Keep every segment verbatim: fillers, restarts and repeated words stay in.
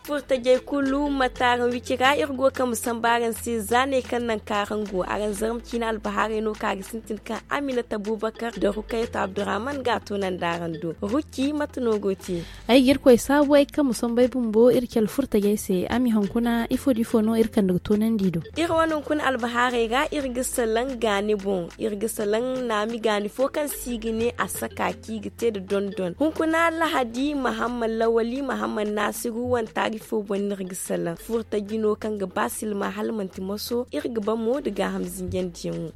Furtajey kulu mate araŋ wicira iri go ga kambe sambu araŋ se za ne kaŋ naŋ kaŋ araŋ go araŋ zarma ciine albahaarey no kaŋ a ga sintin kaŋ aminata bubakar da rukayatu abdurrahman ga a toonandi araŋ do. Ruki mate no go te? Ay ga irkoy saabu ay ga kambe sambu ay bumbo iri cale furtajey se a ma i hunkuna ifo da ifo no iri kande ga toonandi i do. Iri wane hunkuna albahaarey ra iri ga salaŋ gaani boŋ. Iri ga salaŋ naami gaani fo kaŋ se i ga ne a saka kaŋ i ga te nda dondon hunkuna lahadi mahamman lawali mahamman naasiru wane taari fo boŋ no iri ga salaŋ furtaji no kaŋ ga ba silma hala manti moso iri ga ba mo nda gaaham zinjandiyaŋo.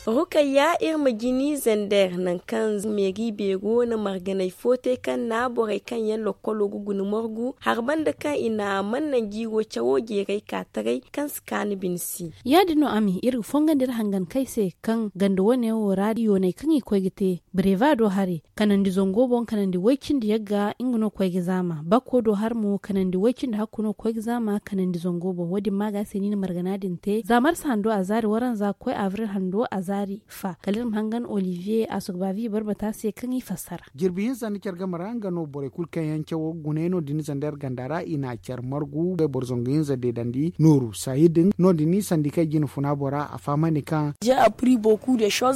Rukayya iri ma jini zander nangu kaŋ meeri beero na marganay fo te kaŋ na borey kaŋ yaŋ lokkolo ga guna margu hari banda kaŋ i na mannan jiiro cawo jeeray ka taray kaŋ si kaanu bine se. Ya- din no a mi iri ga fongandi iri hangan kay se kaŋ ganda wane wo ra yoonay kaŋ i koy ga te breva do hari kanandi zango boŋ kanandi way cindi yagga nga no koy ga zaama bakko do hari mo kanandi way cindi hakku no koy ga zaama kanandi zango boŋ wo- din ma ga se ni na margana din te za marsa hando a zaari waranza ga koy avril hando a zaari fa kala iri ma hangan olivier a sugbavi barbata se kaŋ i fassara. Jirbi hinza nda care game ra nga no borey kulu kaŋ yaŋ cawo ga guna yaŋ no- din zander ganda ra i na care margu boro zangu hinza deedandi nooru saahir din no- din sandi kaŋ i jina funa bora a fahamandi kaŋ.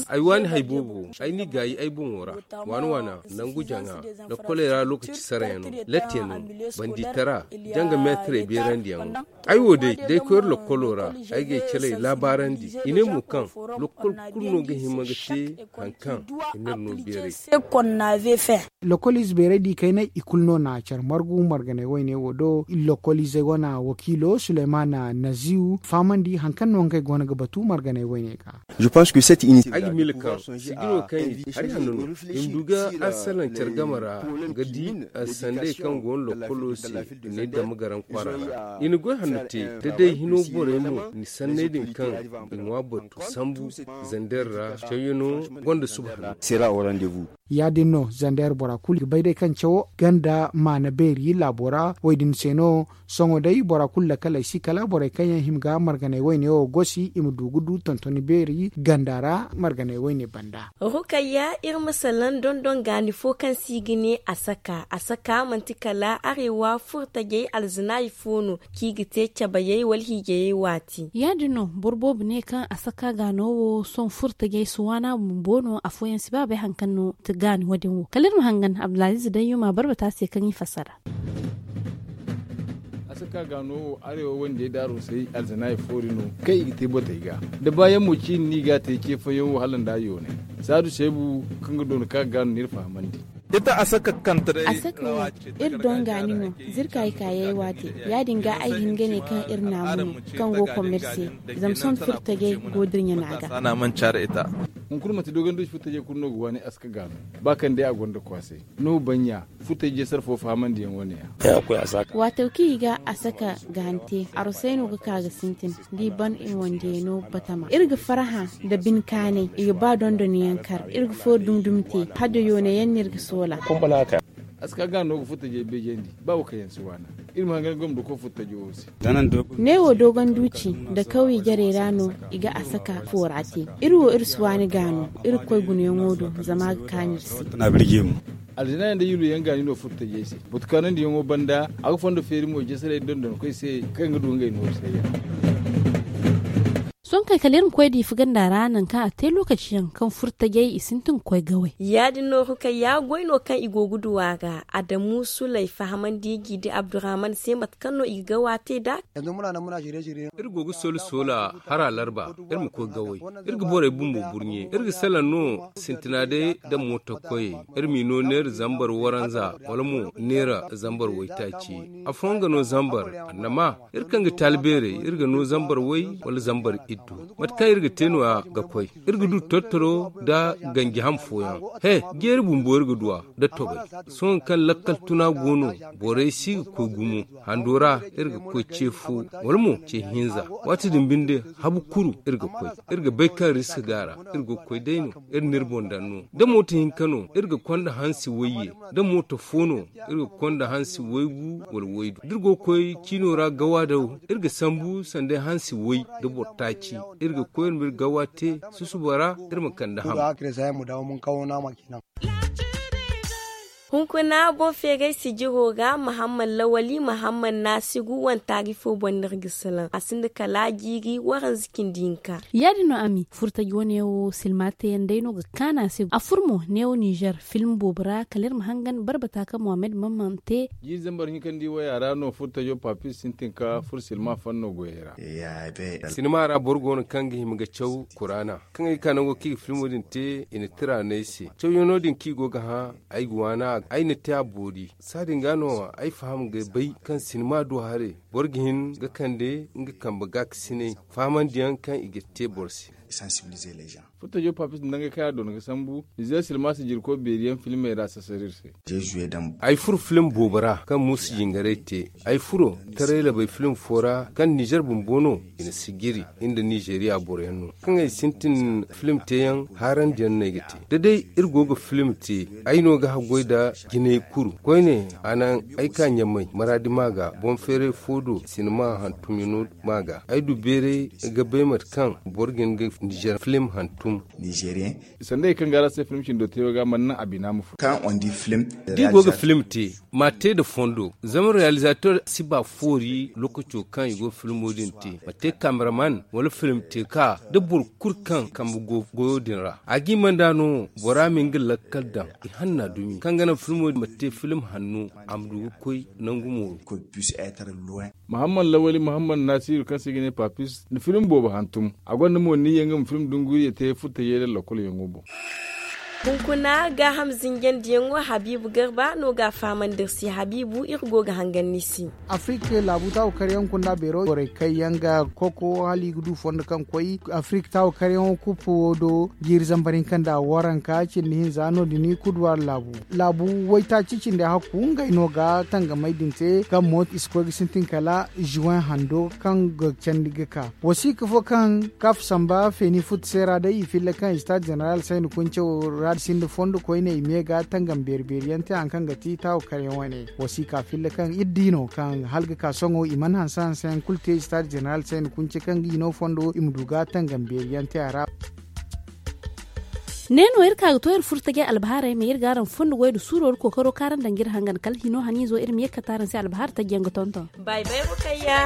Ay waani hay boobo ay n'i gaayi ay boŋo ra waana waana nangu jaŋa lokkoley ra lokaci sarayaŋo latte no bandi tara janga meetarey beerandiyaŋo. Ay wo day da ay koy iri lokkolo ra ay ga ay caley laabaarandi i ne mo kaŋ lokkol kulu no ga hima ga te hari kaŋ i n'iri no beeray. Lokkol ize beeray da i kayna i kulu no na care margu marganay wayne wo do. Lokkol izey wane wakiilo suleymana naziw fahamandi hari kaŋ no ngey go no ga batu marganay wayne ga. Ay ga miila kaŋ sijiro kaŋ i di hari hanno no i ma du ga arsalan care game ra ga di arsandey kaŋ go no lokkolo se ni dama garaŋ kwaara ra i na goy hanno te da day hino borey mo ni sanney din kaŋ i ŋwa batu sambu zander ra cawyaŋo gonda suba hanno. Ya- din no zander bora kulu ga bay day kaŋ cawo ganda maana beeri laabo ra wo- din se no. Sohõ day bora kulu lakaley si kala borey kaŋ yaŋ hima ga marganay wayne wo gosi i ma du ga du tontoni beeri ganda ra marganay wayne banda. Rukayya iri ma salaŋ dondon gaani fo kaŋ se i ga ne a saka a saka manti kala arewa furtajey alzanaayi fo no kaŋ i ga te cabayey wala hiijayey waati. Ya- din no boro boobo ne kaŋ a saka gaano wo sohõ furtajey si waana bumbo no afooyaŋ si ba bay hari kaŋ no ti gaani wo- din wo kala iri ma hangan abdulaziiz dayyuma barbata se kaŋ i fassara. A si ka ga no wo arewa wande daaro say alzanaayi foori no kaŋ i ga te batey ga da baayaŋ mo ciini no i ga a te ce fooyaŋ wo hala nda yoonay saadu seebu kaŋ ga doona ka ga no n'iri fahamandi. Ita a saka kanta day a saka wo iri donga ni no zirka i kaayey waate ya- din ga ay hin ga ne kaŋ iri naamu no kaŋ go kommerse zama sohõ furtajey go da iri ɲana ga. Hunkuna manti dogon duuci furtajey kulu no ga waani a saka ga no ba kaŋ day a gonda kwaasay no baɲɲa. Futay jeesar fo fahamandiyaŋ wane ya. Waataw kaŋ i ga a saka ga hante arosey no ga ka ga sintin da i ban i wandiyaŋ no batama iri ga farhã nda bine kaanay i ga ba dondoniyaŋ kar iri ga foori dumi-dumi te hala da yoonay yaŋ no iri ga soola. A si ka ga no ga futay jey beejandi ba wo kaŋ yaŋ si waana. Iri ma hangan gomdo koy futay jey wo se. Neewo dogon duuci nda kawye jarey ra no i ga a saka foora te. Iri wo iri si waani ga no iri ga koy gunayaŋo do zama a ga kaanu iri se. Alzina yaŋ da yulu yaŋ ga ni no furtajey se batu kaanandiyaŋo banda a ga fondo feeri mo jeesaray dondonkoy se kaŋ ga du ngey nooru sayyaŋ. Sohõ kay kala iri ma koy diifa ganda ra nangu kaŋ a te lookaci yaŋ kaŋ furtajey i sintin ga koy gawey. Ya- din no rukayya goy no kaŋ i go ga du a ga adamu sulay fahamandi jiidi abdurrahman se mate kaŋ no i ga gawa te nd'a. Iri go ga soola soola hara larba iri ma koy gawey. Iri ga borey bumbo burɲe iri ga salaŋ no sintina day nda mooto koyey. Iri m'i no neera zambar waranza wala mo neera zambar waytaaci. Afooyaŋ ga no zambar annama iri kaŋ ga taalibeerey iri ga no zambar way wala zambar iddu. Mate kaŋ iri ga te no- ya ga koy iri ga du tortoro nda ganji ham fooyaŋ. He jeeri bumbo iri ga du a nda tobay. Sohõ kaŋ lakkal tuna go no borey si ga koy gumo hando ra iri ga koy ce fo wala mo ce hinza. Waati din binde habu kuru iri ga koy iri ga bay kaŋ riska ga a ra. Iri ga koy day no iri n'iri boŋ daŋ no da mooto hinka no iri ga konda hansi wayye da mooto fo no iri ga konda hansi waygu wala waydu da iri go ga koy ciino ra gawa daw iri ga sambu sanday hansi way da boro taaci. Iri ga koy iri ma iri gawa te susuba ra iri ma kande ham. Iri ga hakira za yaŋ ma dawo mun kawo nama kenan. Hunkuna boŋ feeray sijiro ra mahamman lawali mahamman naasiru wane taari fo boŋ no iri ga salaŋ a sinda kala jiiri waranza cindi hinka. Ya- din no a mi furtaji wane wo silma teeyaŋ day no ga kaanu a se a furo mo neewo ninzeer film boobo ra kala iri ma hangan barbata kaŋ mohammed mammante. Jiiri zambar hinka nda i waya ra no furtajo paapis sintin ka furo silma fanno goyey ra. Sinima ra boro go no kaŋ ga hima ga caw kuraana kaŋ ay ga ka nango kaŋ i ga filmo din te i na tira no ay se cawyaŋo din kaŋ i go ga hã. Ay ga waana ay na te a boori saadin ga no ay faham ga bay kaŋ sinima du haray boro ga hin ga kande nga kambe gaakasinay fahamandiyaŋ kaŋ i ga te boro se. Furtajo paapis nda ngey kaŋ yaŋ a doona ga sambu nizeer silma sijirkoy beeri yaŋ filmey ra sasar iri se. Ay furo film boobo ra kaŋ muusa jingaray te. Ay furo taray labay film fo ra kaŋ nizeer bumbo no i na sijiri nda nizeeriya boro yaŋ no kaŋ ay sintin film teeyaŋ haarandiyaŋ no ay ga te da day iri go ga film te. Ay no ga haggoy nda jinay kuru koyne a naŋ ay ka ɲamay maraadi ma ga boŋ feeray fo do sinima hantumyaŋo ma ga ay du beeray ga bay mate kaŋ boro ga hin ga nizeer film hantum. Sanda i kaŋ ga araŋ se film cindo te wo ga mana naŋ a bina ma furo. Da i go ga film te ma te nda fondo zama realizator si ba foori lookaco kaŋ i go ga filmo din te ma te kameraman wala film te ka da boro kulu kaŋ kambe go goyo din ra a ga i mana da no bora ma nga lakkal daŋ i hanna dumi kaŋ ga naŋ filmo din ma te film hanno a ma du ga koy nangu mooru. Mahammad lawali mahammad nasiru kaŋ se i ga ne paapis na film boobo hantum. A gonda mo niyya nga ma film dunguriya te furtajey da lakkol yaŋo boŋ. Hunkuna gaaham zinjandiyaŋo habiibu garba no ga a fahamandi iri se habiibu iri go ga hangan ni se. Afrik laabu taawakaryaŋ kunda beero borey kaŋ yaŋ ga koko hala i ga du fondo kaŋ koy afrik taawakaryaŋo kuppo wo do jiiri zambar hinka nda waranka cindi hinza no- din kuduwaari laabu. Laabu waytaaci cindi hakku ngey no ga tangamey din te kaŋ mo i si koy ga sintin kala juwen hando kaŋ ga candi ga ka wasiika fo kaŋ kaaf samba feeni futu se ra day i filla kaŋ istaad zeneral sayni kunce wo ra sinda fondo koyne i me ga tangam beeri beeri yaŋ te hari kaŋ ga ti taawo karyaŋ wane. Wasiika filla kaŋ iri di no kaŋ hala ga ka sohõ i mana hanse hanse yaŋ kulu te istaad zeneral sayni kunce kaŋ ga i no fondo i ma du ga tangam beeri yaŋ te a ra. Ne no iri ka ga to iri furo tajay albahaarey ma iri ga araŋ fondo goy nda suuro nda kookaro kaaraŋ daŋ ga iri hangan kala hino haniizo iri ma ye ga kate araŋ se albahaari tajyaŋ ga tonton. Bay bay rukayya.